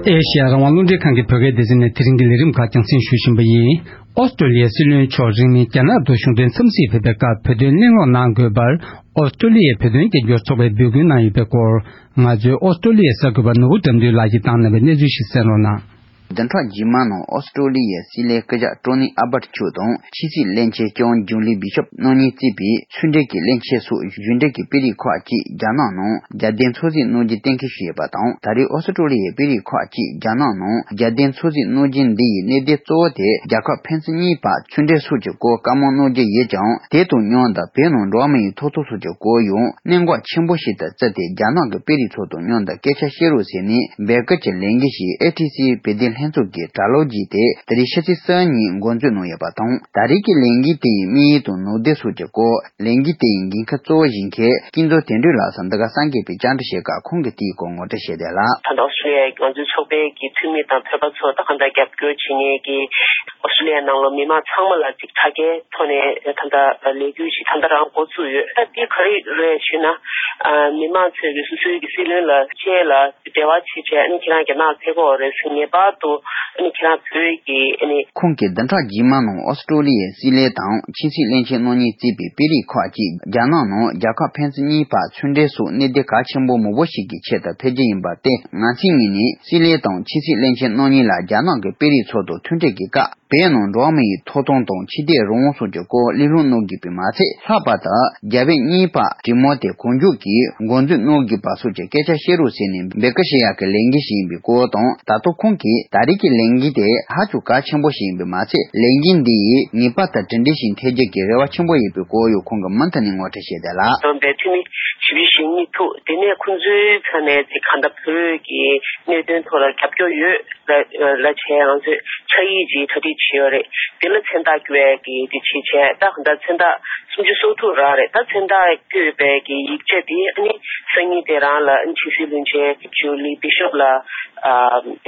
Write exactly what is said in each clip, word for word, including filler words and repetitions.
ཨེ་ཤེ་ཡ་རང་དབང་རླུང་འཕྲིན་ཁང་གི་བོད་སྐད་སྡེ་ཚན་ནས་དེ་རིང་གི་ལས་རིམ་ཁག་རྒྱང་སྲིང་ཞུ་བཞིན་པ་ཡིན། ཨོ་སི་ཀྲོ་ལི་ཡའི་སྲིད་བློན་མཆོག་རིང་མིན་རྒྱ་ནག་ཏུ་གཞུང་དོན་འཚམས་གཟིགས་ཕེབས་པའི་སྐབས་བོད་དོན་གླེང་སློང་གནང་དགོས་པར། ཨོ་སི་ཀྲོ་ལི་ཡའི་བོད་དོན་རྒྱབ་སྐྱོར་ཚོགས་པས་འབོད་སྐུལ་གནང་ཡོད་པའི་སྐོར། ང་ཚོའི་ཨོ་སི་ཀྲོ་ལི་ཡའི་གསར་འགོད་པ་ནོར་བུ་དགྲ་འདུལ་ལགས་ཀྱིས་བཏང་གནང་བའི་གནས་ཚུལ་ཞིག་གསན་རོགས་གནང་། བདུན་ཕྲག་རྗེས་མ་ནང་ཨོ་སི་ཀྲོ་ལི་ཡའི་སྲིད་བློན་སྐུ་ཞབས་ཀྲོ་ནི་ཨ་བར་མཆོག་དང་ཕྱི་སྲིད་བློན་ཆེན་ལྕམ་ཇུ་ལི་བི་ཤོབ་རྣམ་གཉིས་གཙོས་པའི་ཚོགས་འདུ་གི་བློན་ཆེན་སོགས་གཞུང་འབྲེལ་གྱི་དཔོན་རིགས་ཁག་ཅིག་རྒྱ་ནག་ནང་རྒྱལ་དོན་འཚམས་གཟིགས་གནང་རྒྱུ་གཏན་འཁེལ་ཞུས་ཡོད་པ་དང་། ད་རེས་ཨོ་སི་ཀྲོ་ལི་ཡའི་དཔོན་རིགས་ཁག་ཅིག་རྒྱ་ནག་ནང་རྒྱལ་དོན་འཚམས་གཟིགས་གནང་རྒྱུ་འདི་ཡི་གནད་དོན་གཙོ་བོ་དེ་རྒྱལ་ཁབ་ཕན་ཚུན་གཉིས་བར་ཚོང་འབྲེལ་སོགས་ཀྱི་སྐོར་བཀའ་མོལ་གནང་རྒྱུ་ཡིན་ཀྱང་། དེ་དང་མཉམ་དུ་བོད་ནང་འགྲོ་བ་མིའི་ཐོབ་ཐང་སོགས་ཀྱི་སྐོར་ཡང་གནད་འགག་ཆེན་པོ་ཞིག་ཏུ་བརྩིས་ཏེ། རྒྱ་ནག་གི་དཔོན་རིགས་ཚོ་དང་མཉམ་དུ་སྐད་ཆ་བཤད་རོགས་ཟེར་ནས་འབོད་སྐུལ་གྱི་ལས་འགུལ་ཞིག་ཨེ་ཐི་སི་བོད་དོན་ལྷན་ཚོགས་ཀྱི་དྲ་ལམ་བརྒྱུད་དེ་ད་རེས་ཕྱི་ཚེས་གསུམ་ཉིན་འགོ་འཛུགས་གནང་ཡོད་པ་དང་། ད་རེས་ཀྱི་ལས་འགུལ་དེ་ཡི་དམིགས་ཡུལ་དང་ནུས་ལྡན་སོགས་ཀྱི་སྐོར་ལས་འགུལ་དེ་ཡི་འགན་འཁུར་གཙོ་བོ་བཞེས་མཁན་སྐྱིད་འཛོམས་དོན་གྲུབ་ལགས་སུ་འདི་ག་གསར་འགོད་པས་བཅར་འདྲི་བྱས་སྐབས་ཁོང་གིས་དེའི་སྐོར་ངོ་སྤྲོད་བྱས་ཏེ་ལ། ད་ལྟ་ཨོ་སི་ཀྲོ་ལི་ཡའི་ང་ཚོའི་ཚོགས་པའི་གི་འཐུས་མི་དང་བོད་པ་ཚོ་ད་གང་ལྟར་རྒྱབ་སྐྱོར་བྱེད་མཁན་གྱི་ཨོ་སི་ཀྲོ་ལི་ཡའི་ནང་ལ་མི་མང་ཚང་མ་ལ་ཅིག་དྲ་རྒྱའི་ཐོག་ནས་ད་ལྟ་ལས་འགུལ་ཞིག་ད་ལྟ་རང་འགོ་བཙུགས་ཡོད། ད་འདི་ག་རེ་རེད་ཞུས་ན། ཨ་མི་མང་ཚོས་ཀྱི་སོ་སོའི་གི་སྲིད་བློན་ལ་བཅས་ལ་འབྲེལ་བ་བྱེད་བྱས། ཨ་ནི་ཁྱེད་རང་རྒྱ་ནག་ཕེབས་དགོས་རེད་ཟེར། ངེས་པར་དུ་ཨ་ནི་ཁྱེད་རང་བོད་ཀྱི་ཨ་ནི། ཁོང་གིས་བདུན་ཕྲག་རྗེས་མ་ནང་ཨོ་སི་ཀྲོ་ལི་ཡའི་སྲིད་བློན་དང་ཕྱི་སྲིད་བློན་ཆེན་རྣམ་གཉིས་གཙོས་པའི་དཔོན་རིགས་ཁག་ཅིག་རྒྱ་ནག་ནང་རྒྱལ་ཁབ་ཕན་ཚུན་གཉིས་བར་ཚོང་འབྲེལ་སོགས་གནད་དོན་གལ་ཆེན་པོ་མང་པོ་ཞིག་གི་ཆེད་དུ་ཕེབས་རྒྱུ་ཡིན་པར་བརྟེན། ང་ཚོའི་ངོས་ནས་སྲིད་བློན་དང་ཕྱི་སྲིད་བློན་ཆེན་རྣམ་གཉིས་ལ་རྒྱ་ནག་གི་དཔོན་རིགས་ཚོ་དང་ཐུག་འཕྲད་ཀྱི་སྐབས། བོད་ནང་འགྲོ་བ་མིའི་ཐོབ་ཐང་དང་ཆོས་དད་རང་དབང་སོགས་ཀྱི་སྐོར་གླེང་སློང་གནང་དགོས་པས་མ་ཚད། ལྷག་པར་དུ་རྒྱ་བོད་གཉིས་བར་གྲོས་མོལ་དེ་གང་མགྱོགས་ཀྱིས་འགོ་འཛུགས་གནང་དགོས་པ་སོགས་ཀྱི་སྐད་ཆ་བཤད་རོགས་ཟེར་ནས་འབོད་སྐུལ་བྱེད་ཡག་གི་ལས་འགུལ་ཞིག་ཡིན་པའི་སྐོར་དང་། ད་དུང་ཁོང་གིས་ད་རེས་ཀྱི་ལས་འགུལ་དེ་ཧ་ཅང་གལ་ཆེན་པོ་ཞིག་ཡིན་པས་མ་ཚད། ལས་འགུལ་འདི་ཡིས་ངེས་པར་དུ་གྲུབ་འབྲས་ཤིག་ཐོན་རྒྱུ་གི་རེ་བ་ཆེན་པོ་ཡོད་པའི་སྐོར་ཡང་ཁོང་གིས་མུ་མཐུད་ནས་ངོ་སྤྲོད་བྱས་ཏེ་ལ། བསྡོམས་པའི་འཐུས་མི་བཞི་བཅུ་ཞེ་གཉིས་ཐུག་དེ་ནས་ཁོང་ཚོའི་ཕྱོགས་ནས་ཅིག་གང་ལྟར་བོད་ཀྱི་གནད་དོན་ཐོག་ལ་རྒྱབ་སྐྱོར་ཡོད་ལ་ལ་བྱས། ང་ཚོས་ཕྱག་ཡིག་ཅིག་གྲ་སྒྲིག་བྱས་ཡོད་རེད། དེ་ལ་མཚན་རྟགས་བཀོད་ཡས་ཀྱི་དེ་བྱས་བྱས། ད་གང་ལྟར་མཚན་རྟགས་སུམ་ཅུ་སོ་དྲུག་རག་རེད། ད་མཚན་རྟགས་བཀོད་པའི་གི་ཡིག་ཆ་དེ་ཨ་ནི་སང་ཉིན་དེ་རང་ལ་ཕྱི་སྲིད་བློན་ཆེན་ཇུ་ལི་བི་ཤོབ་ལ་ཨ་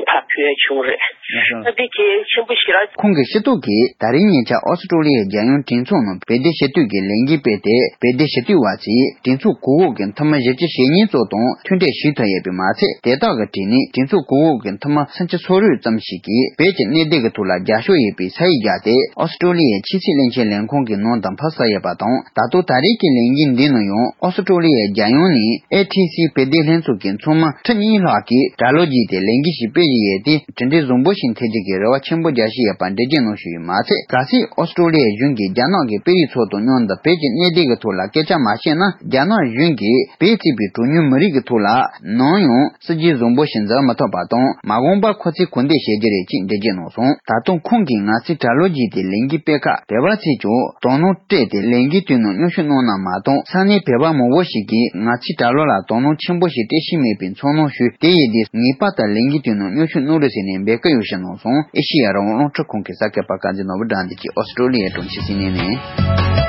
ཕར་ཕུལ་ཡས་བྱུང་རེད། ད་དེ་གལ་ཆེན་པོ་ཞིག་རེད། ཁོང་གིས་ཤེས་རྟོགས་ཀྱིས་ད་རིང་ཉེ་ཆར་ཨོ་སི་ཀྲོ་ལི་ཡའི་རྒྱལ་ཡོངས་གྲོས་ཚོགས་ནང་བོད་དོན་ཞུ་གཏུག་གི་ལས་འགུལ་སྤེལ་ཏེ། བོད་དོན་ཞུ་གཏུག་པ་ཚོས་གྲོས་ཚོགས་གོང་འོག་གི་འཐུས་མི་བཞི་བཅུ་ཞེ་གཉིས་ཙམ་དང་ཐུག་འཕྲད་ཞུ་ཐུབ་ཡོད་པས་མ་ཚད། དེ་དག་གི་གྲས་ནས་གྲོས་ཚོགས་གོང་འོག་གི་འཐུས་མི་སུམ་ཅུ་སོ་དྲུག་ཙམ་ཞིག་གིས་བོད་ཀྱི་གནད་དོན་གྱི་ཐོག་ལ་རྒྱབ་སྐྱོར་ཡོད་པའི་ས་ཡིག་བརྒྱབ་སྟེ། ཨོ་སི་ཀྲོ་ལི་ཡའི་ཕྱི་སྲིད་བློན་ཆེན་ལས་ཁུངས་ཀྱི་ནང་དུ་ཕབ་ཚར་ཡོད་པ་དང་། ད་དུང་ད་རེས་ཀྱི་ལས་འགུལ་འདིའི་ནང་ཡང་ཨོ་སི་ཀྲོ་ལི་ཡའི་རྒྱལ་ཡོངས་ནས་ཨེ་ཐི་སི་བོད་དོན་ལྷན་ཚོགས་ཀྱི་ཚོགས་མི་ཁྲི་གཉིས་ལྷག་གིས་དྲ་ལམ་བརྒྱུད་དེ་ལས་འགུལ་ཞིག་སྤེལ་བཞིན་ཡོད་དེ། གྲུབ་འབྲས་བཟང་པོ་ཞིག་ཐོན་རྒྱུ་གི་རེ་བ་ཆེན་པོ་རྒྱག་བཞིན་ཡོད་པ་འགྲེལ་བརྗོད་གནང་བཞིན་ཡོད་མ་ཚད། གལ་སྲིད་ཨོ་སི་ཀྲོ་ལི་ཡའི་གཞུང་གིས་རྒྱ་ནག་གི་དཔོན་རིགས་ཚོ་དང་མཉམ་དུ་བོད་ཀྱི་གནད་དོན་གྱི་ཐོག་ལ་སྐད་ཆ་མ་བཤད་ན། རྒྱ་ནག་གཞུང་གིས་བོད་གཙོས་པའི་གྲངས་ཉུང་མི་རིགས་ཀྱི་ཐོག་ལ་ནམ་ཡང་སྲིད་ཇུས་བཟང་པོ་ཞིག་འཛིན་མི་ཐུབ་པ་དང་། མ་འོངས་པར་ཁོ་ཚོས་གང་འདོད་བྱེད་རྒྱུ་རེད་ཅེས་འགྲེལ་བརྗོད་གནང་སོང་། ད་དུང་ཁོང་གིས་ང་ཚོས་དྲ་ལམ་བརྒྱུད་དེ་ལས་འགུལ་སྤེལ་སྐབས། བོད་པ་ཚོས་ཀྱང་དོ་སྣང་སྤྲད་དེ་ལས་འགུལ་དེའི་ནང་མཉམ་ཞུགས་གནང་ན་མ་གཏོགས། ས་གནས་བོད་པ་མང་པོ་ཞིག་གིས་ང་ཚོའི་དྲ་ལམ་ལ་དོ་སྣང་ཆེན་པོ་ཞིག་སྤྲད་བཞིན་མེད་པའི་ཚོར་སྣང་ཞུས། དེ་ཡིན་དུས་ངེས་པར་དུ་ལས་འགུལ་དེའི་ནང་མཉམ་ཞུགས་གནང་རོགས་ཟེར་ནས་འབོད་སྐུལ་ཡང་ཞུས་གནང་སོང་། ཨེ་ཤེ་ཡ་རང་དབང་རླུང་འཕྲིན་ཁང་གི་གསར་འགོད་པ་དཀར་མཛེས་ནོར་བུ་དགྲ་འདུལ་གྱིས་ཨོ་སི་ཀྲོ་ལི་ཡའི་གྲོང་ཁྱེར་སིད་ནི་ནས།